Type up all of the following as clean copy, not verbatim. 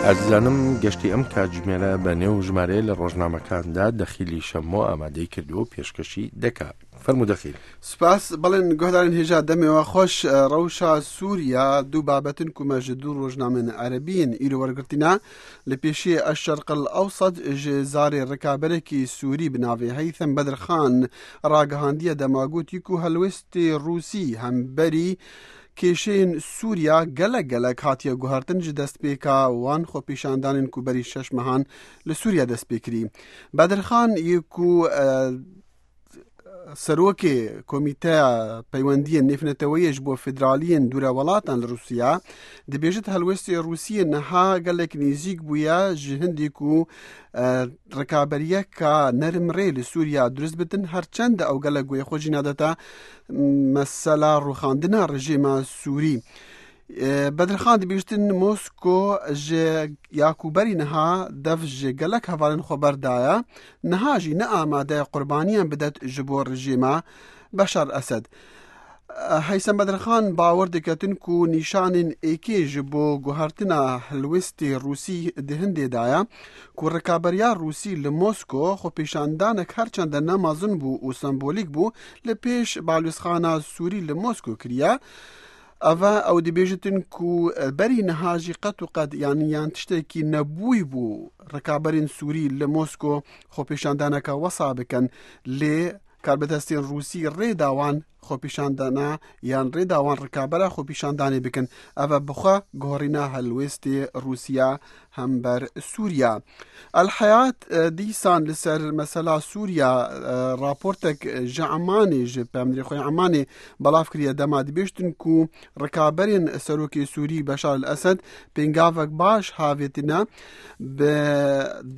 ئازیزانم گەشتی ئەم کاتژمێرە بە نێو ژمارەیە لە ڕۆژنامەکاندا دەخیلی شەمۆ ئامادەی کردووە و پێشکەشی دەکا. فەرموو دەخیل. سپاس بەڵێن گۆهدارên hêja demê xweş rewşa Sûriya du babetin ku me ji du rojnamên Erebiyên îro wergirtîne li pêşiyê Eşşerqil Ewsat ji zarê rikaberekî Sûrî bi navê Heythem Bedirxan ragihandiye dema gotî ku helwêstê Rûsî hemberî kêşeyên Sûriya gelek gelek hatiye guhertin ji destpêka wan xwepêşandanên ku berî şeş mehan li Sûriya dest pê kirî. Bedirxan yê ku Serokê Komîteya Peywendiyên Nêvneteweyê ji bo Federaliyên Dûre Welatan li Rûsya dibêjit helwestê Rûsiyê niha gelek nêzîk bûye ji hindî ku rikaberiyeka nerm rê li Sûriya dirust bitin her çend ew gelek guhê xwe jî nadete mesela rûxandina rejîma Sûrî. Bedirxan dibêjtin Mosko ji ya ku berî niha dev ji gelek hevalên xwe berdaye, niha jî ne amade ye qurbaniyan bidet ji bo rejîma Beşar Esed. Heysem Bedirxan bawer diketin ku nîşanên êkê ji bo guhertina helwestê Rûsî di hindê de ye ku rikaberiya Rûsî li Mosko xwepêşandanek her çende ne mezin bû û sembolîk bû li pêş balwêzxana Sûrî li Mosko kiriye. Eva ew dibêjitin ku berî niha jî qet û qet yanî yan tiştekî nebûyî bû rikaberên Sûrî li Mosko xwepêşandaneke wesa bikin lê karbidestên Rûsî rê da wan xwepêşandana yan rê da wan rikabera xwepêşandanê bikin. Ev e bi xwe guherîna helwêstê Rûsiya hember Sûriya. El Heyat dîsan li ser mesela Sûriya raportek ji Emanê ji pemdirê xwe Emanê belav kiriye dema dibêjtin ku rikaberên serokê Sûrî Beşar el Esed pêngavek baş havêtine bi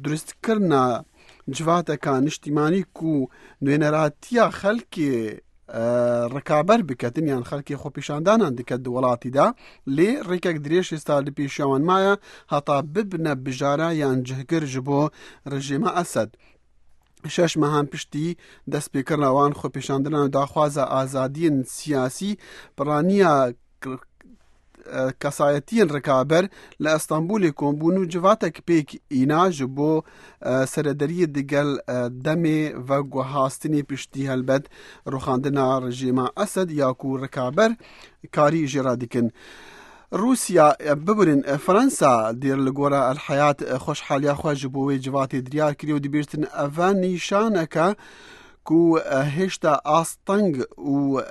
duristkirina civateka niştîmanî ku nûneratiya xelkê rikaber biketin yan xelkê xwepêşandanan diket di welatî de lê rêkek dirêj hêsta li pêşiya wan maye heta bibine bijare yan cihgir ji bo rejîma Esed. Şeş mehan piştî destpêkirina wan xwepêşandinan û daxwaza azadiyên siyasî piraniya kesayetiyên rikaber li Estanbulê kombûn û civatek pêk îna ji bo serederiyê digel demê veguhastinê piştî helbet rûxandina rejîma Esed ya ku rikaber karî jê re dikin. Rûsya bibirin Fransa dêr li gora El Heyat xweşhaliya xwe ji bo wê civatê diyar kiriye û dibêjtin eve nîşaneke ku hêşta asteng û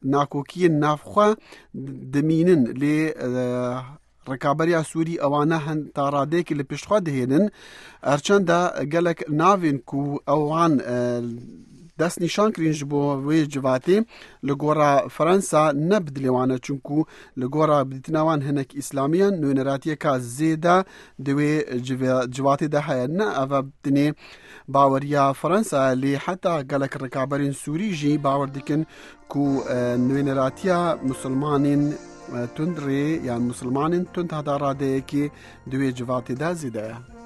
nakokiyên nav xwe dimînin lê rikaberiya Sûrî ewane hin ta radeyekê li pişt xwe dihênin erçenda gelek navên ku ewan dest nîşan kirîn ji bo wê civatê li gora Fransa ne bi dilê wan e çunku li gora bi dîtina wan hinek îslamiyan nûneratiyeka zêde di wê civatê de heye ne ev e dinê Baweriya Fransa lê heta gelek rikaberên Sûrî jî bawer dikin ku nûneratiya misilmanên tund rê yan misilmanên tund heta radeyekê di wê civatê de zêde ye.